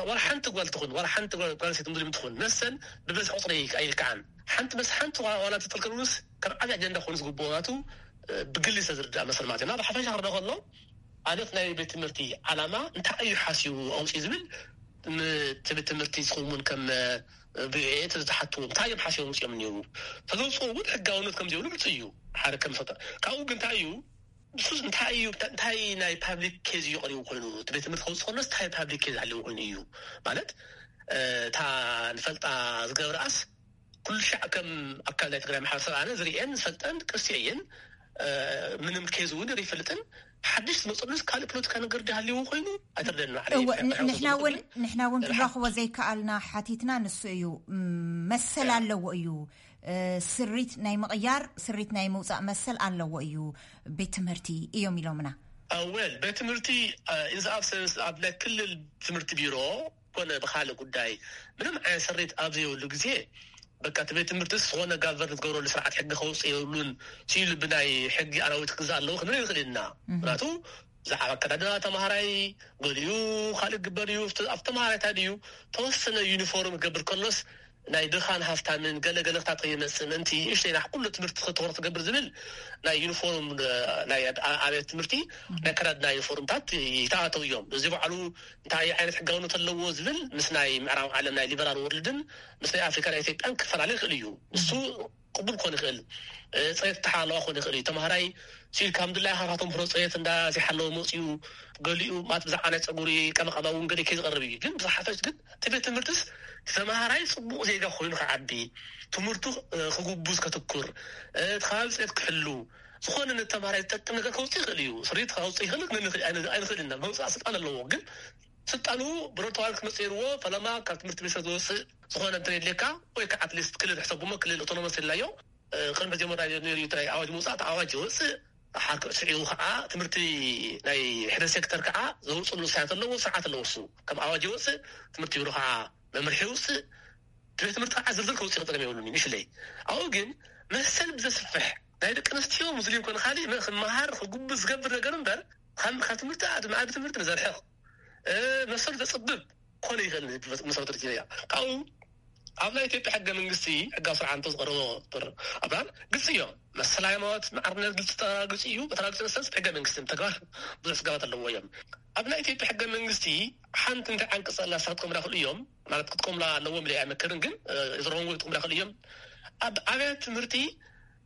ዋላ ሓንቲ ጓል ትኹን ዋላ ሓንቲ ጓል ጓል ሴት ሙስሊም ትኹን መሰል ብበዝሒ ቁፅሪ ኣይልክዓን ሓንቲ መስ ሓንቲ ዋላ ትጥልከሉስ ከም ዓብዪ ኣጀንዳ ኮይኑ ዝግብኦ ናቱ ብግሊ ዝተዝርዳእ መሰል ማለት እዩ። እና ብሓፈሻ ክርዳ ከሎ ኣነት ናይ ቤት ትምህርቲ ዓላማ እንታይ እዩ ሓስቡ ኣውፅኡ ዝብል እቲ ቤት ትምህርቲ ዝኸውን ከም ብኤ ተዝተሓትዎ እንታይ እዮም ሓስቦም ውፅኦም እኒው ተዘውፅኦ እውን ሕጋውነት ከም ዘይብሉ ግልፂ እዩ። ሓደ ከም ሰጠ ካብኡ ግን እንታይ እዩ ንሱስ እንታይ እዩ እንታይ ናይ ፓብሊክ ኬዝ እዩ ቀሪቡ ኮይኑ እቲ ቤት ትምህርቲ ከውፅእ ከሎስ እንታይ ፓብሊክ ኬዝ ኣለዎ ኮይኑ እዩ ማለት እታ ንፈልጣ ዝገብርኣስ ኩሉ ሻዕ ከም ኣካል ናይ ትግራይ ማሕበረሰብ ኣነ ዝርእየን ዝፈልጠን ቅርሲ እየን ምንም ኬዝ እውን ይፈልጥን ሓድሽ ዝመፅሉስ ካልእ ፖለቲካ ነገር ድሃልዎ ኮይኑ ኣይተርደን ንሕና እውን ንሕና እውን ክንረኽቦ ዘይከኣልና ሓቲትና ንሱ እዩ መሰል ኣለዎ እዩ ስሪት ናይ ምቕያር ስሪት ናይ ምውፃእ መሰል ኣለዎ እዩ ቤት ትምህርቲ እዮም ኢሎምና ወል ቤት ትምህርቲ ኢንስ ኣብሰንስ ኣብ ናይ ክልል ትምህርቲ ቢሮ ኮነ ብካልእ ጉዳይ ምንም ዓይነት ስሪት ኣብ ዘይብሉ ግዜ፣ በቃ እቲ ቤት ትምህርትስ ዝኾነ ጋቨርን ዝገብረሉ ስርዓት ሕጊ ከውፅእ የብሉን ሲሉ ብናይ ሕጊ ኣራዊት ክግዛእ ኣለዎ ክንብል ይኽእል ኢና። ምክንያቱ ብዛዕባ ኣከዳድና ተምሃራይ፣ ገሊኡ ካልእ ግበር እዩ። ኣብቲ ተምሃራይ እንታይ ድዩ ተወሰነ ዩኒፎርም ክገብር ከሎስ ናይ ድኻን ሃፍታምን ገለ ገለ ክታት ከይመጽእ ምእንቲ ንእሽተይ ናይ ኩሉ ትምህርቲ ትኹረት ክገብር ዝብል ናይ ዩኒፎርም፣ ናይ ኣብ- ኣብያተ ትምህርቲ ናይ ኣከዳድና ዩኒፎርምታት ይተኣተው እዮም። እዚ ባዕሉ እንታይ ዓይነት ሕጋውነት ኣለዎ ዝብል ምስ ናይ ምዕራብ ዓለም ናይ ሊበራል ወርልድን ምስ ናይ ኣፍሪካ ናይ ኢትዮጵያን ክፈላለ ይኽእል እዩ። ንሱ ቅቡል ክኾን ይኽእል፣ ጽሬት ተሓለዋ ክኾን ይኽእል እዩ። ተምሃራይ ሲል ከም ድላይ ሃኻቶም ፕሮ ጽሬት እንዳ ዘይሓለወ መፅኡ፣ ገሊኡ ማት ብዛዕባ ናይ ፀጉሪ ቀበቀባ እውን ገለ ከይዝቐርብ እዩ። ግን ብዝሓፈሽ ግን እቲ ቤት ትምህርትስ ተምሃራይ ፅቡቕ ዜጋ ኮይኑ ክዓቢ፣ ትምህርቱ ክጉቡዝ ከትኩር፣ እቲ ከባቢ ፅሬት ክሕሉ፣ ዝኾነ ነተምሃራይ ዝጠቅም ነገር ከውፅእ ይኽእል እዩ። ስሪት ከውፅእ ይኽእል ኣይንኽእል ኢና። መውፃእ ስልጣን ኣለዎ። ግን ስልጣኑ ብረተዋል ክመፅእ የርዎ። ፈለማ ካብ ትምህርቲ ሚኒስተር ዝወፅእ ዝኾነ እንተ የድልየካ ወይ ከዓ ኣትሊስት ክልል ሕሰቡሞ ክልል ኦቶኖመስ የድላዮ። ቅድሚ ዜመራ ነይሩ ናይ ኣዋጅ ምውፃእ ኣዋጅ ይወፅእ። ሓርክ ስዒቡ ከዓ ትምህርቲ ናይ ሕደ ሴክተር ከዓ ዘውፅሉ ውሳያት ኣለዎ፣ ስርዓት ኣለዎ። እሱ ከም ኣዋጅ ይወፅእ፣ ትምህርቲ ቢሮ ከዓ መምርሒ ይውፅእ። ቤት ትምህርቲ ከዓ ዝርዝር ከውፅእ ክጠቀም የብሉን። ምሽለይ ኣብኡ ግን መሰል ብዘስፍሕ ናይ ደቂ ኣንስትዮ ሙስሊም ኮነ ካሊእ ክመሃር ክጉብዝ ዝገብር ነገር እምበር ካብ ትምህርቲ ኣድማዕቢ ትምህርቲ ንዘርሕቕ መሰሉ ዘፅብብ ኮነ ይኽእል። መሰረተ ያ ካብኡ ኣብ ናይ ኢትዮጵያ ሕገ መንግስቲ ሕጋ ስርዓንቶ ዝቀረቦ ር ኣብራር ግልፂ እዮም። መሰል ሃይማኖት ማዕርነት ግልፂ ተራግፂ እዩ። በተራግፂ መሰል ሕገ መንግስቲ ተግባር ብዙሕ ስጋባት ኣለዎ እዮም። ኣብ ናይ ኢትዮጵያ ሕገ መንግስቲ ሓንቲ እንታይ ዓንቀፅ ኣላ ሳትኮምላ ክእሉ እዮም ማለት ክትቆምላ ኣለዎም ኢለ ኣይመክርን። ግን ዝረንጎ ክትቆምላ ክእሉ እዮም። ኣብ ኣብያት ትምህርቲ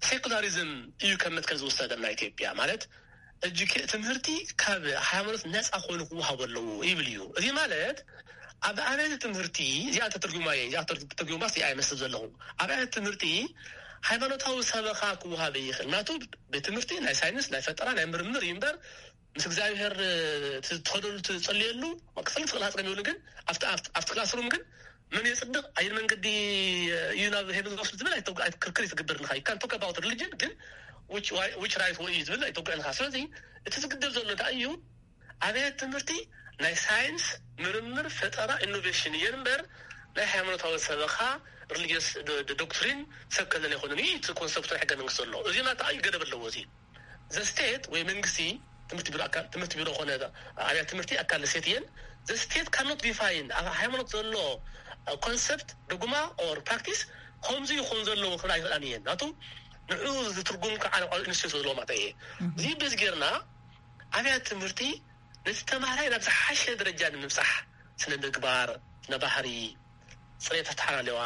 ሴኩላሪዝም እዩ ከም መትከል ዝወሰደ ናይ ኢትዮጵያ ማለት እጅ ትምህርቲ ካብ ሃይማኖት ነፃ ኮይኑ ክወሃቡ ኣለዎ ይብል እዩ። እዚ ማለት ኣብ ኣብያተ ትምህርቲ እዚኣ ተተርጉማ እየ እዚኣ ተተርጉማ ስ ኣይመስል ዘለኹ ኣብ ኣብያተ ትምህርቲ ሃይማኖታዊ ሰበኻ ክወሃበ ይኽእል ናቱ ቤት ትምህርቲ ናይ ሳይንስ ናይ ፈጠራ ናይ ምርምር እዩ እምበር ምስ እግዚኣብሔር ትኸደሉ ትጸልየሉ ክፍል ትኽእል ሃፀ ይብሉ ግን ኣብቲ ክላስሩም ግን መን የፅድቕ ኣየን መንገዲ እዩ ናብ ሄብን ዝወስድ ዝብል ክርክር ይትግበር ንካ ይካን ቶክ ኣባውት ሪሊጅን ግን which right ወይ እዩ ዝብል ኣይተጉዕንካ ስለዚ እቲ ዝግደብ ዘሎ እንታይ እዩ ኣብያት ትምህርቲ ናይ ሳይንስ ምርምር ፈጠራ ኢኖቬሽን እየን እምበር ናይ ሃይማኖታዊ ሰበኻ ሪሊጅስ ዶክትሪን ሰብ ከለለ ኣይኮነን እዩ እቲ ኮንሰፕት ናይ ሕገ መንግስቲ ዘሎ እዚ ናታ እዩ ገደብ ኣለዎ እዚ ዘስቴት ወይ መንግስቲ ትምህርቲ ቢሮ ኣካል ትምህርቲ ቢሮ ኮነ ኣብያት ትምህርቲ ኣካል ስቴት እየን ዘስቴት ካኖት ዲፋይን ኣብ ሃይማኖት ዘሎ ኮንሰፕት ዶግማ ኦር ፕራክቲስ ከምዚ ይኾን ዘለዎ ክብል ኣይኽእላን እየን ናቱ ንዑ ዝትርጉም ከዓ ኢንስቲቱት ዘለዎ ማለት እየ እዚ በዚ ጌርና ኣብያት ትምህርቲ ነቲ ተማሃራይ ናብ ዝሓሸ ደረጃ ንምብፃሕ ስነ ምግባር ስነ ባህሪ ፅሬት ኣተሓላለዋ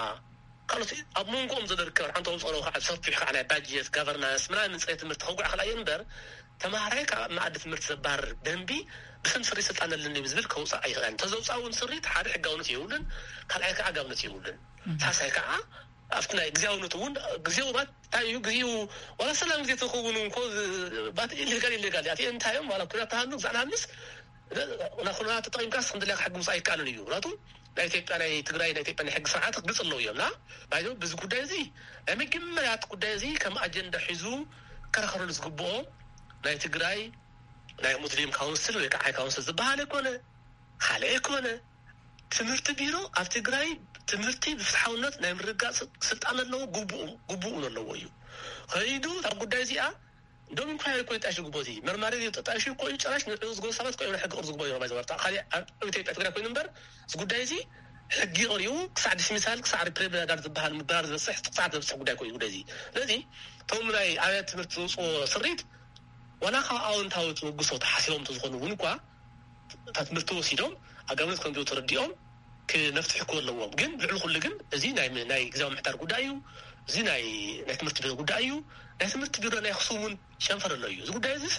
ካልኦት ኣብ መንጎኦም ዘሎ ርከብ ሓንቶም ፀሮ ከዓ ሰፊሕ ከዓ ናይ ባጀት ጋቨርናንስ ምናምን ፅሬት ትምህርቲ ከጉዕ ክላ እየን እምበር ተማሃራይ ካብ መኣዲ ትምህርቲ ዘባርር ደንቢ ብስም ስሪ ስልጣን ኣለኒ ዝብል ከውፃእ ኣይኽእለን እንተዘውፃእ እውን ስሪት ሓደ ሕጋውነት የብሉን ካልኣይ ከዓ ኣጋብነት የብሉን ሳሳይ ከዓ ኣብቲ ናይ ግዜያውነት እውን ግዜው ባት እንታይ እዩ ግዜው ዋላ ሰላም ግዜ ተኸውን እንኮ ባት ኢሌጋል ኢሌጋል እያ እንታይ እዮም ዋላ ኩናት ተሃሉ ግዛዕ ንሃልስ ናኹና ተጠቂምካስ ከምደለካ ሕጊ ምውፃእ ኣይከኣልን እዩ ምክንያቱ ናይ ኢትዮጵያ ናይ ትግራይ ናይ ኢትዮጵያ ናይ ሕጊ ስርዓት ግልፅ ኣለዉ እዮም ና ባይዞ ብዚ ጉዳይ እዚ ናይ መጀመርያ እቲ ጉዳይ እዚ ከም ኣጀንዳ ሒዙ ከራኸረሉ ዝግብኦ ናይ ትግራይ ናይ ሙስሊም ካውንስል ወይ ከዓ ካውንስል ዝበሃል ኣይኮነ ካልእ ኣይኮነ ትምህርቲ ቢሮ ኣብ ትግራይ ትምህርቲ ብፍትሓውነት ናይ ምርጋፅ ስልጣን ኣለዎ ግቡኡ እውን ኣለዎ እዩ ከይዱ እታ ጉዳይ እዚኣ እንደውም እንኳ እኮ ይጣሽ ግቦ እዚ መርማሪ ተጣሽ እኮ እዩ ጭራሽ ንዕኡ ዝገቡ ሰባት እኮ እዮም ሕጊ ቅር ዝግቦ እዮም ዝወርታ ካሊእ ኣብ ኢትዮጵያ ትግራይ ኮይኑ እምበር እዚ ጉዳይ እዚ ሕጊ ቀሪቡ ክሳዕ ዲስሚሳል ክሳዕ ሪፕሬ ጋር ዝበሃል ምባር ዝበፅሕ ክሳዕ ዘብፅሕ ጉዳይ ኮይኑ ጉዳይ እዚ ስለዚ እቶም ናይ ኣብያት ትምህርቲ ዝውፅዎ ስሪት ዋላ ካብ ኣወንታዊ ተበግሶ ተሓሲቦም ተዝኾኑ እውን እኳ እታ ትምህርቲ ወሲዶም ኣጋብነት ከም ተረዲኦም ክመፍትሒ ክህልዎም ግን ልዕሊ ኩሉ ግን እዚ ናይ ናይ ግዛዊ ምሕዳር ጉዳይ እዩ እዚ ናይ ናይ ትምህርቲ ቢሮ ጉዳይ እዩ ናይ ትምህርቲ ቢሮ ናይ ኣክሱም እውን ጨንፈር ኣሎ እዩ እዚ ጉዳይ እዚስ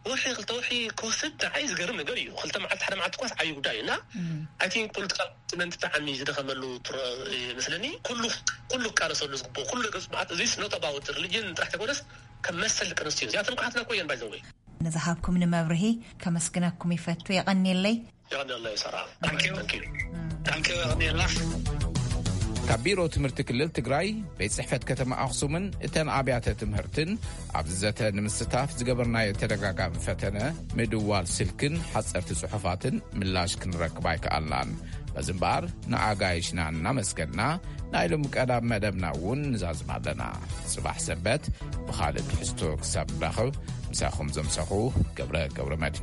ወርሒ ክልተ ወርሒ ክወስድ ንዓይ ዝገርም ነገር እዩ ክልተ መዓልቲ ሓደ መዓልቲ ኳስ ዓብዪ ጉዳይ እዩ እና ኣይ ቲንክ ፖለቲካል ስመንት ብጣዕሚ ዝደኸመሉ መስለኒ ኩሉ ኩሉ ክቃለሰሉ ዝግብኦ ኩሉ ገፅ መዓት እዚ ስኖት ኣባውት ሪሊጅን ጥራሕ ተኮነስ ከም መሰል ደቂ ኣንስትዮ እዚኣተን ኳሓትና ኮየን ባይዘወይ ንዝሃብኩምኒ መብርሂ ከመስግነኩም ይፈቱ። የቐንየለይ። የቐንየለይ ሰራ። ዳንኪ የቐንየልና። ካብ ቢሮ ትምህርቲ ክልል ትግራይ ቤት ፅሕፈት ከተማ ኣኽሱምን እተን ኣብያተ ትምህርትን ኣብዚ ዘተ ንምስታፍ ዝገበርናዮ ተደጋጋሚ ፈተነ ምድዋል ስልክን ሓፀርቲ ፅሑፋትን ምላሽ ክንረክብ ኣይከኣልናን። በዚ እምበኣር ንኣጋይሽና እናመስገንና፣ ናይ ሎም ቀዳም መደብና እውን ንዛዝም ኣለና። ጽባሕ ሰንበት ብኻልእ ትሕዝቶ ክሳብ ንራኸብ፣ ምሳኹም ዘምሰኹ ገብረ ገብረ መድህን